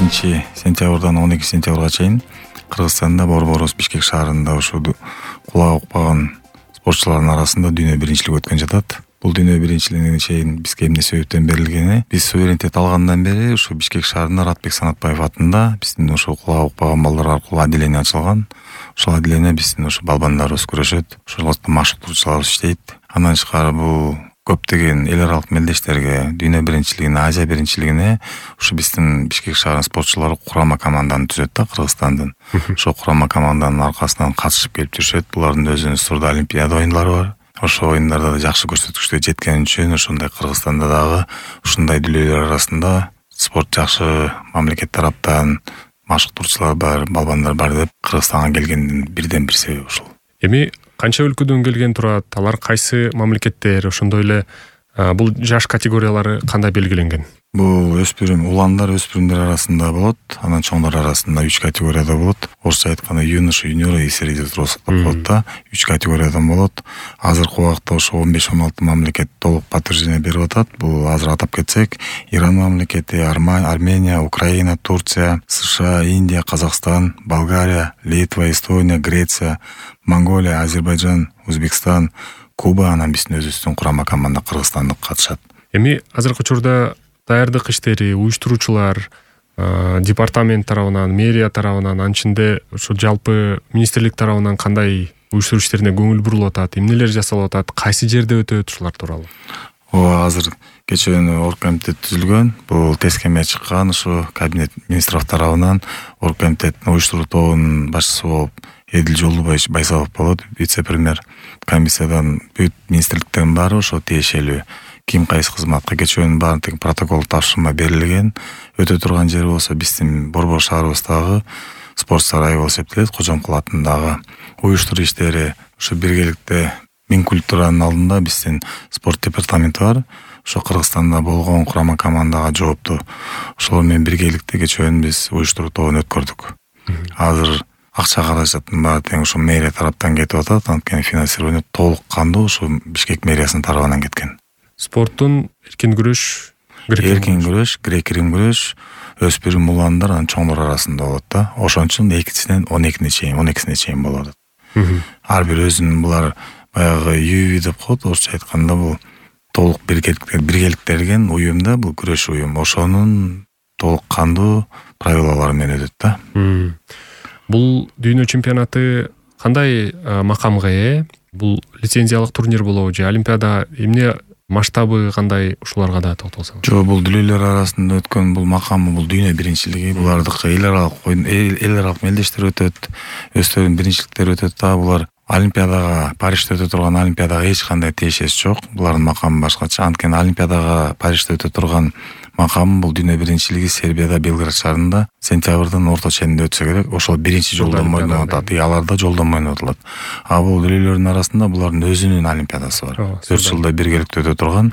15-сентябрдан 12-сентябрга чейин Кыргызстанда Борборус Бишкек шаарында ушул кулак укпаган спортчулардын арасында дүйнө биринчилиги өткөн жатат. Бул дүйнө биринчилигине чейин бизге эмне себептен берилгени, биз суверенитет алгандан бери ушу Бишкек шаарында Ратбек Санатбаев атында биздин ушул кулак укпаган балдар аркылуу отделение ачылган. Ошол отделение биздин ушу балбандарыбыз күрөшөт, ошол машыктоочуларыбыз иштейт. Андан тышкары бул көптөгөн эл аралык мелдештерге, дүйнө биринчилигине, Азия биринчилигине ушу биздин Бишкек шаарынын спортчулары курама команданы түзөт да, Кыргызстандын. Ошол курама команданын аркасынан катышып келип жүрүшөт. Булардын өзүнүн сурда олимпиада оюндары бар. Ошол оюндарда да жакшы көрсөткүчкө жеткен үчүн ошондой Кыргызстанда дагы ушундай дүлөйлөр арасында спорт жакшы мамлекет тараптан машыктоочулар бар, балбандар бар деп Кыргызстанга келгендин бирден бир себеби ушул. Эми канча өлкөдөн келген турат? Алар кайсы мамлекеттер? Ошондой эле бул жаш категориялары кандай белгиленген? Бул уландар өспүрүмдөр арасында болот, анан чоңдор арасында 3 категорияда болот. Орусча айтканда юноша, юниоры и среди взрослых деп коет да. 3 категориядан болот. Азыркы убакта ошо 15-16 мамлекет толук подтверждение берип атат. Бул азыр атап кетсек, Иран мамлекети, Армения, Украина, Турция, США, Индия, Казакстан, Болгария, Литва, Эстония, Греция, Монголия, Азербайджан, Өзбекстан, Куба, анан биздин өзүбүздүн курама команда Кыргызстандык катышат. Эми азыркы учурда даярдык иштери, уюштуруучулар департамент тарабынан, мэрия тарабынан, анын ичинде ошо жалпы министрлик тарабынан кандай уюштуруу иштерине көңүл бурулуп атат, эмнелер жасалып атат, кайсы жерде өтөт, ушулар тууралуу? Азыр кечээ оргкомитет түзүлгөн. Бул тескеме чыккан, ушу кабинет министров тарабынан оргкомитеттин уюштуруу тобунун башчысы болуп Эдил Жолдубай Байсалов болот, вице-премьер. Комиссиядан бүт министрликтердин баары ошо тиешелүү. Ким кайсы кызматка кечөөнүн баарын тең протокол тапшырма берилген. Өтө турган жери болсо биздин Борбор шаарыбыздагы спорт сарайы болуп эсептелет, Кожомкул атындагы. Уюштуруу иштери ушу биргеликте Минкультуранын алдында биздин спорт департаменти бар. Ошо Кыргызстанда болгон курама командага жоопту. Ошолор менен биргеликте кечөөнү биз уюштуруу тобун өткөрдүк. Азыр акча каражаттын баары тең ошо мэрия тараптан кетип атат, анткени финансирование толук кандуу ошо Бишкек мэриясынын тарабынан кеткен. Спорттун эркин күрөш, грек-рим күрөш, өспүрүм уландар, анан чоңдор арасында болот да. Ошончун 2-синен 12-сине чейин болот. Ар бир өзүнүн булар баягы юви деп коет, орусча айтканда бул толук биргеликтелген уюм да, бул күрөш уюм. Ошонун толук кандуу правилалары менен өтөт да. Бул дүйнө чемпионаты кандай макамга ээ? Бул лицензиялык турнир болобу же олимпиада, эмне масштабы кандай, ушуларга да токтолсоңуз? Жок, бул дүлөйлөр арасында өткөн бул макамы, бул дүйнө биринчилиги. Булардыкы эл аралык мелдештер өтөт, өздөрүнүн биринчиликтери өтөт да. Булар олимпиадага, Парижде өтө турган олимпиадага эч кандай тиешеси жок. Булардын макамы башкача. Анткени олимпиадага Парижде өтө турган макам бул дүйнө биринчилиги Сербияда, Белград шаарында сентябрдын орто ченинде өтсө керек. Ошол биринчи жолдон ойноп атат. Аларда жолдон ойноп атат. Бул дүлөйлөрдүн арасында булардын өзүнүн олимпиадасы бар. 4 жылда биргеликте өтө турган.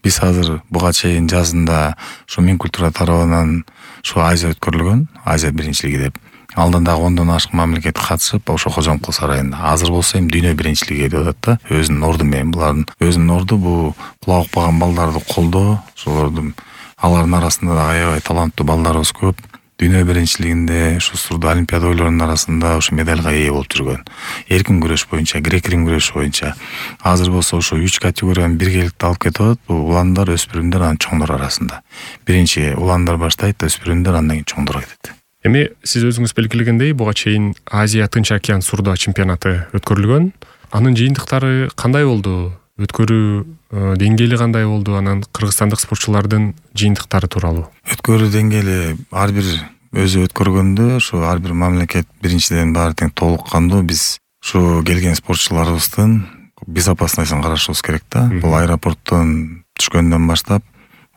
Биз азыр буга чейин жазында ушу Минкультура тарабынан ушу Азия өткөрүлгөн, Азия биринчилиги деп. Алдында 10дон ашык мамлекет катышып, ошо Кожомкул сарайында. Азыр болсо эми дүйнө биринчилиги өтүп атат да, өзүнүн орду менен. Булардын өзүнүн орду бул кулак укпаган балдарды колдоо, ошолордун алардын арасында да аябай таланттуу балдарыбыз көп. Дүйнө биринчилигинде ушу сурда олимпиада ойлорунун арасында ушу медальга ээ болуп жүргөн. Эркин күрөш боюнча, грек-рим күрөш боюнча. Азыр болсо ушу 3 категорияны биргеликте алып кетип атат. Бул уландар, өспүрүмдөр, анан чоңдор арасында. Биринчи уландар баштайт, өспүрүмдөр, андан кийин чоңдор кетет. Эми сиз өзүңүз белгилегендей, буга чейин Азия Тынч океан сурда чемпионаты өткөрүлгөн. Анын жыйынтыктары кандай болду? Өткөрүү деңгээли кандай болду? Анан кыргызстандык спортчулардын жыйынтыктары тууралуу. Өткөрүү деңгээли ар бир өзү өткөргөндө, ошо ар бир мамлекет биринчиден баары тең толук кандуу. Биз ушу келген спортчуларыбыздын безопасностун карашыбыз керек да. Бул аэропорттон түшкөндөн баштап,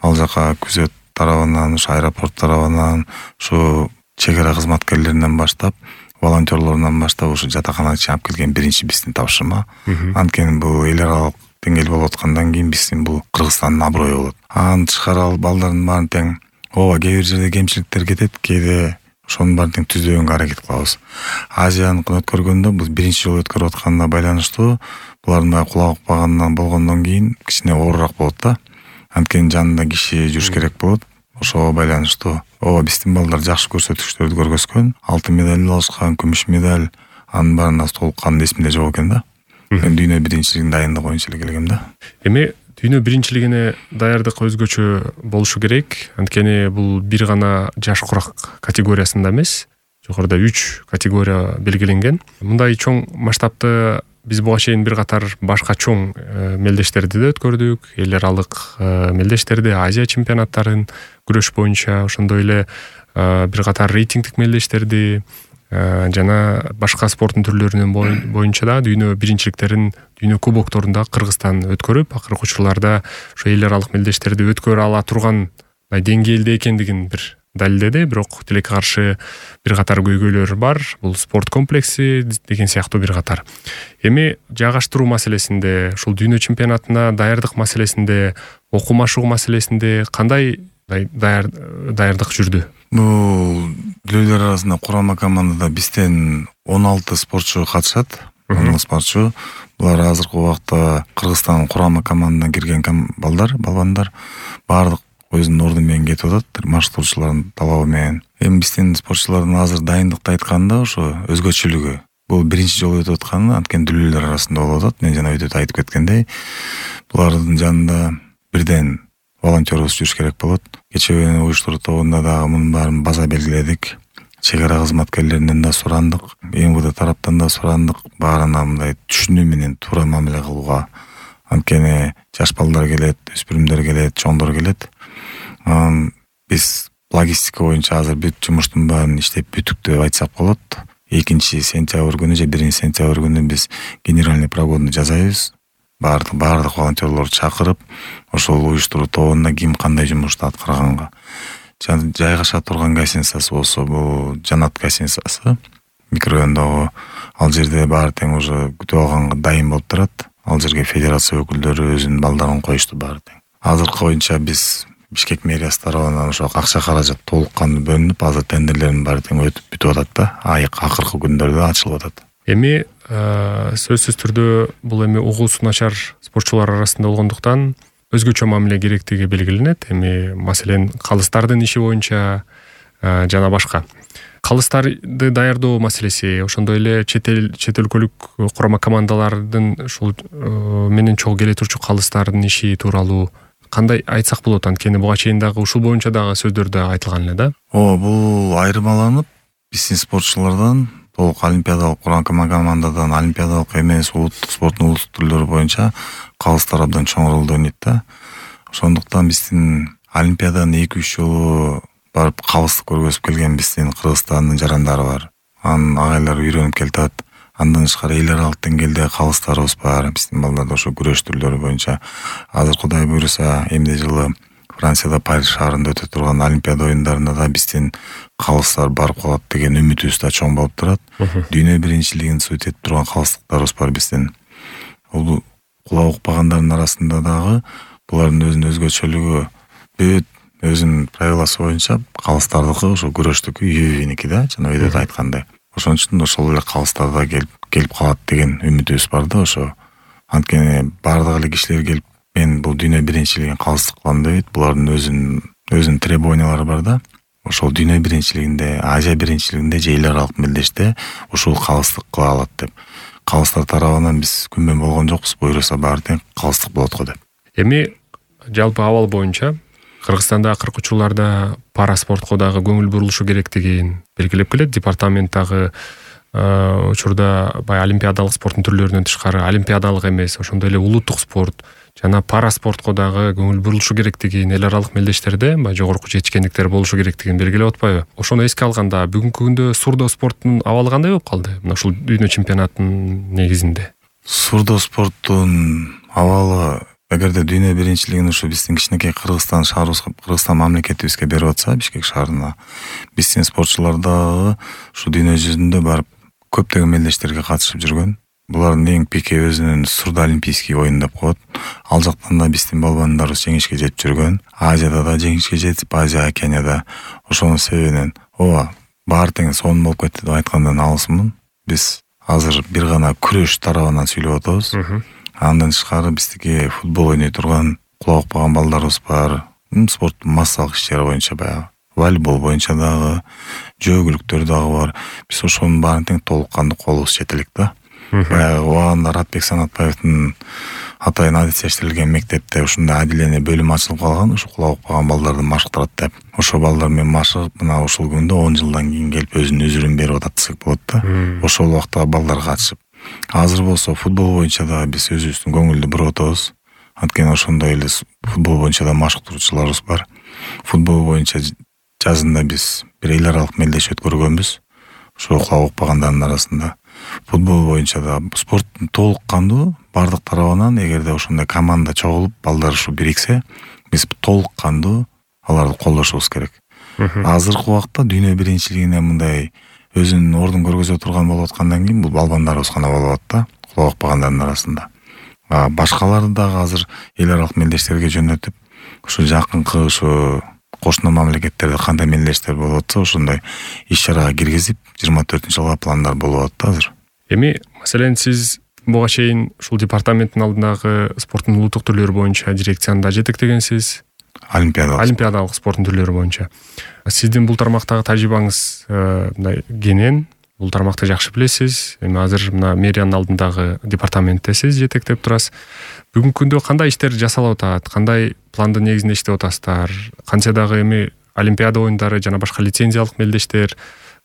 ал жака күзөт тарабынан, ушу аэропорт тарабынан, ушу чегара кызматкерлеринен баштап, волонтерлорунан баштап ушу жатаканага чейин алып келген биринчи биздин тапшырма. Анткени бул эл аралык деңгээл болуп аткандан кийин биздин бул Кыргызстандын аброю болот. Анын тышкары балдардын баарын тең кээ бир жерде кемчиликтер кетет, кээде ошонун баарын тең түздөөгөнгө аракет кылабыз. Азияныкын өткөргөндө бул биринчи жолу өткөрүп атканына байланыштуу булардын кулак укпагандан болгондон кийин кичине оорураак болот да. Анткени жанында киши жүрүш керек болот. Ошого байланыштуу ооба биздин балдар жакшы көрсөтүктөрдү көргөзгөн, алтын медаль алышкан, күмүш медаль, анын баарын толук кандуу эсимде жок экен да. Мен дүйнө биринчилигине дайындык боюнча эле келгем да. Эми дүйнө биринчилигине даярдык өзгөчө болушу керек. Анткени бул бир гана жаш курак категориясында эмес, жогоруда 3 категория белгиленген. Мындай чоң масштабты биз буга чейин бир катар башка чоң мелдештерди да өткөрдүк. Эл аралык мелдештерди, Азия чемпионаттарын күрөш боюнча, ошондой эле бир катар рейтингдик мелдештерди жана башка спорттун түрлөрүнүн боюнча да дүйнө биринчиликтерин, дүйнө кубокторунда Кыргызстан өткөрүп, акыркы учурларда ошо эл аралык мелдештерди өткөрө ала турган деңгээлде экендигин бир далилдеди. Бирок тилекке каршы бир катар көйгөйлөр бар. Бул спорт комплекси деген сыяктуу бир катар. Эми жайгаштыруу маселесинде, ушул дүйнө чемпионатына даярдык маселесинде, окуу-машыгуу маселесинде кандай даярдык жүрдү? Бул дүлөлөр арасында курама командада бизден 16 спортчу катышат. 16 спортчу. Булар азыркы убакта Кыргызстандын курама командасына кирген балбандар баардык өзүнүн орду менен кетип атат, маршруттоочулардын талабы менен. Эми биздин спортчулардын азыр дайындыкты айтканда ошо өзгөчөлүгү. Бул биринчи жолу өтүп атканы анткени дүлөлөр арасында болуп атат. Мен жана өтөт айтып кеткендей, булардын жанында бирден волонтерубуз жүрүш керек болот. Кечээ уюштуруу тобунда дагы мунун баарын база белгиледик. Чек ара кызматкерлеринен да сурандык, МВД тараптан да сурандык, баарына мындай түшүнүү менен туура мамиле кылууга. Анткени жаш балдар келет, өспүрүмдөр келет, чоңдор келет. Биз логистика боюнча азыр бүт жумуштун баарын иштеп бүттүк деп айтсак болот. 2-сентябрь күнү же 1-сентябрь күнү биз генеральный прогонду жасайбыз. Баардык волонтерлорду чакырып, ошол уюштуруу тобунда ким кандай жумушту аткарганга. Жайгаша турган гостиницасы болсо, бул Жанат гостиницасы микрорайондогу. Ал жерде баары тең уже күтүп алганга дайын болуп турат. Ал жерге федерация өкүлдөрү өзүнүн балдарын коюшту баары тең. Азыркы боюнча биз Бишкек мэриясы тарабынан ошо акча каражат толук кандуу бөлүнүп, азыр тендерлердин баары тең өтүп бүтүп атат да. Акыркы күндөрдө ачылып атат. Эми сөзсүз түрдө бул эми угуусу начар спортчулар арасында болгондуктан өзгөчө мамиле керектиги белгиленет. Эми маселен калыстардын иши боюнча жана башка. Калыстарды даярдоо маселеси, ошондой эле чет өлкөлүк курама командалардын ушул менен чогуу келе турчу калыстардын иши тууралуу кандай айтсак болот? Анткени буга чейин дагы ушул боюнча дагы сөздөр да айтылган эле да. Бул айырмаланып, биздин спортчулардан толук олимпиадалык курама командадан олимпиадалык эмес, улуттук спорттун улуттук түрлөрү боюнча калыстар абдан чоң ролду ойнойт да. Ошондуктан биздин олимпиададан 2-3 жолу барып калысты көргөзүп келген биздин Кыргызстандын жарандары бар. Анын агайлары үйрөнүп келатат. Андан тышкары эл аралык деңгээлде калыстарыбыз бар. Биздин балдар ошо күрөш түрлөрү боюнча азыр Кудай буйруса эмне жылы Францияда Париж шаарында өтө турган олимпиада оюндарында да биздин калыстар барып калат деген үмүтүбүз да чоң болуп турат. Дүйнө биринчилигин сүйүп этип турган калыстыктарыбыз бар биздин. Бул кулак укпагандардын арасында дагы булардын өзүнүн өзгөчөлүгү, бүт өзүнүн правиласы боюнча калыстардыкы ошо күрөштүкү үйүнүкү да, жана өйдө айткандай. Ошон үчүн ошол эле калыстарда келип калат деген үмүтүбүз бар да ошо. Анткени бардык эле кишилер келип мен бул дүйнө биринчилигин калыстык кылам дейт. Булардын өзүнүн требованиялары бар да. Ошол дүйнө биринчилигинде, Азия биринчилигинде же эл аралык мелдеште ушул калыстык кыла алат деп. Калыстар тарабынан биз күнбөн болгон жокпуз, буйруса баары тең калыстык болот го деп. Эми жалпы абал боюнча Кыргызстанда акыркы учурларда пара спортко дагы көңүл бурулушу керектигин белгилеп келет. Департамент дагы учурда олимпиадалык спорттун түрлөрүнөн тышкары олимпиадалык эмес, ошондой эле улуттук спорт жана пара спортко дагы көңүл бурулушу керектигин, эл аралык мелдештерде жогорку жетишкендиктер болушу керектигин белгилеп атпайбы? Ошону эске алганда бүгүнкү күндө сурдо спорттун абалы кандай болуп калды? Мына ушул дүйнө чемпионатынын негизинде. Сурдо спорттун абалы эгерде дүйнө биринчилигин ушу биздин кичинекей Кыргызстан шаарыбызга, Кыргызстан мамлекетибизге берип атса, Бишкек шаарына, биздин спортчулар дагы ушу дүйнө жүзүндө барып көптөгөн мелдештерге катышып жүргөн. Булардын эң пике өзүнүн сурдо олимпийский оюн деп коет. Ал жактан да биздин балбандарыбыз жеңишке жетип жүргөн. Азияда да жеңишке жетип, Азия, Океанияда. Ошонун себебинен баары тең сонун болуп кетти деп айткандан алысмын. Биз азыр бир гана күрөш тарабынан сүйлөп атабыз. Андан тышкары биздики футбол ойной турган, кулак укпаган балдарыбыз бар. Спорттун массалык ишчери боюнча баягы волейбол боюнча дагы, жөөгүлүктөр дагы бар. Биз ошонун баарын тең толук кандуу колубуз жете элек да. Баягы убагында Ратбек Санатбаевдин атайын адистештирилген мектепте ушундай адиление бөлүм ачылып калган, ушу кулак укпаган балдарды машыктырат деп. Ошол балдар менен машыгып, мына ушул күндө 10 жылдан кийин келип өзүнүн үзүрүн берип атат десек болот да. Ошол убакта балдар катышып. Азыр болсо футбол боюнча да биз өзүбүздүн көңүлдү буруп атабыз. Анткени ошондой эле футбол боюнча да машыктыруучуларыбыз бар. Футбол боюнча жазында биз бир эл аралык мелдеш өткөргөнбүз. Ошо кулак укпагандардын арасында. Футбол боюнча да спорттун толук кандуу бардык тарабынан эгерде ошондой команда чогулуп, балдар ушу бириксе, биз толук кандуу аларды колдошубуз керек. Азыркы убакта дүйнө биринчилигине мындай өзүнүн ордун көргөзө турган болуп аткандан кийин бул балбандарыбыз гана болуп атат да, кулак укпагандардын арасында. Башкаларды дагы азыр эл аралык мелдештерге жөнөтүп, ушу жакынкы ушу кошуна мамлекеттерде кандай мелдештер болуп атса, ошондой иш-чарага киргизип, 24-жылга пландар болуп атат азыр. Эми, маселен, сиз буга чейин ушул департаменттин алдындагы спорттун улуттук түрлөрү боюнча дирекцияны да жетектегенсиз. Олимпиадалык спорттун түрлөрү боюнча. Сиздин бул тармактагы тажрыйбаңыз мындай кенен, бул тармакты жакшы билесиз. Эми азыр мына мэриянын алдындагы департаментте сиз жетектеп турасыз. Бүгүнкү күндө кандай иштер жасалып атат? Кандай пландын негизинде иштеп атасыздар? Кантсе дагы эми Олимпиада оюндары жана башка лицензиялык мелдештер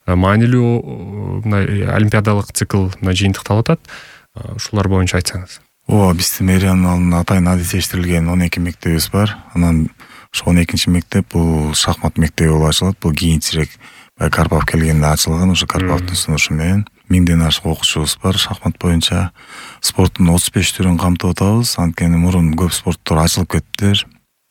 маанилүү мына олимпиадалык цикл мына жыйынтыкталып атат. Ушулар боюнча айтсаңыз. Биздин мэриянын алдында атайын адистештирилген 12 мектебибиз бар. Анан ошо 12-чи мектеп бул шахмат мектеби болуп ачылат. Бул кийинчерээк Карпов келгенде ачылган. Ошо Карповдун сунушу менен 1000ден ашык окуучубуз бар шахмат боюнча. Спорттун 35 түрүн камтып атабыз. Анткени мурун көп спорттор ачылып кеттилер.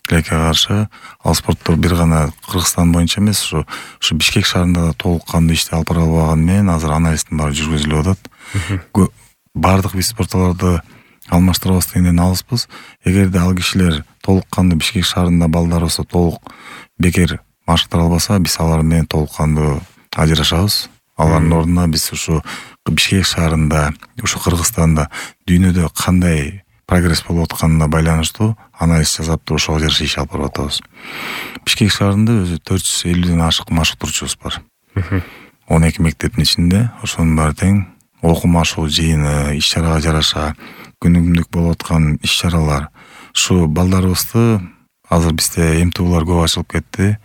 Тилекке каршы ал спорттор бир гана Кыргызстан боюнча эмес, ушу Бишкек шаарында да толук кандуу ишти алып бара албаган менен азыр анализдин баары жүргүзүлүп атат. Бардык вид спортторду алмаштырабыз дегенден алыспыз. Эгерде ал кишилер толук кандуу Бишкек шаарында балдар болсо толук бекер машыктыра албаса, биз алар менен толук кандуу ажырашабыз. Алардын ордуна биз ушу Бишкек шаарында, ушу Кыргызстанда дүйнөдө кандай прогресс болуп атканына байланыштуу анализ жасап туруп ошого жараша иш алып барып атабыз. Бишкек шаарында өзү 450ден ашык машыктыруучубуз бар. 12 мектептин ичинде ошонун баары тең окумашуу жыйыны, иш-чарага жараша күнүмдүк болуп аткан иш-чаралар. Ушу балдарыбызды азыр бизде МТУлар көп ачылып кетти.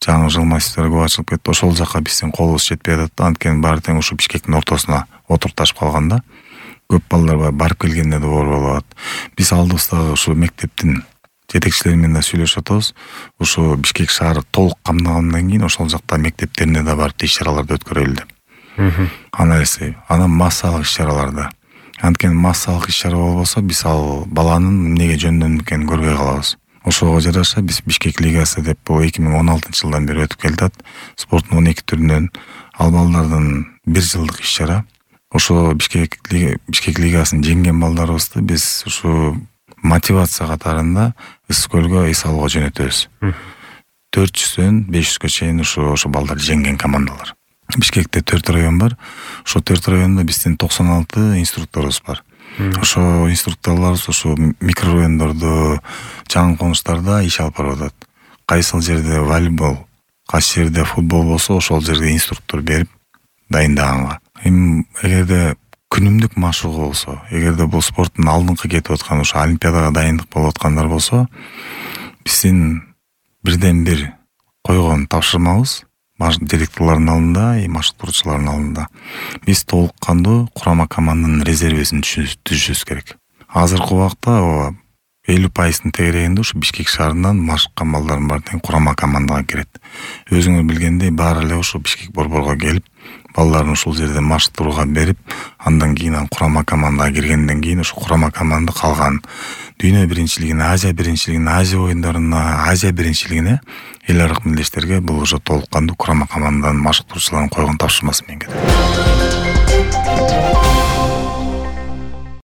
Жаңы жыл массивдери көп ачылып кетти. Ошол жака биздин колубуз жетпей атат да. Анткени баары тең ушу Бишкектин ортосуна отурташып калганда көп балдар барып келгенде да оор болуп атат. Биз алдыбыздагы ушу мектептин жетекчилери менен да сүйлөшүп атабыз. Ушу Бишкек шаары толук камдагандан кийин ошол жакта мектептерине да барып иш-чараларды өткөрөлү деп. Анализи, анан массалык иш-чараларды. Анткени массалык иш-чара болбосо биз ал баланын эмнеге жөндөмдү экенин көрбөй калабыз. Ошого жараша биз Бишкек лигасы деп бул 2016-жылдан бери өтүп келатат. Спорттун 12 түрүнөн ал балдардын 1 жылдык иш-чара. Ошо Бишкек лигасын жеңген балдарыбызды биз ушу мотивация катарында Ысык көлгө эс алууга жөнөтөбүз. 400дөн 500гө чейин ошо балдар жеңген командалар. Бишкекте 4 район бар. Ошо 4 районда биздин 96 инструкторубуз бар. Ошо инструкторлорубуз ошо микрорайондордо, жаңы конуштарда иш алып барып атат. Кайсыл жерде волейбол, кайсы жерде футбол болсо, ошол жерге инструктор берип дайындаганга. Эми эгерде күнүмдүк машыгуу болсо, эгерде бул спорттун алдыңкы кетип аткан ошо олимпиадага дайындык болуп аткандар болсо, биздин бирден бир койгон тапшырмабыз директорлордун алдында, машыктыруучулардын алдында. Биз толук кандуу курама команданын резервисин түзүшүбүз керек. Азыркы убакта 50% тегерегинде ушу Бишкек шаарынан машыккан балдардын баары тең курама командага кирет. Өзүңөр билгендей баары эле ушу Бишкек борборго келип, балдарын ушул жерде машыктырууга берип, андан кийин курама командага киргенден кийин ушу курама команда калган дүйнө биринчилигине, Азия биринчилигине, Азия оюндарына, Азия биринчилигине, эл аралык мелдештерге бул уже толук кандуу курама команданын машыктыруучуларын койгон тапшырмасы менен кетет.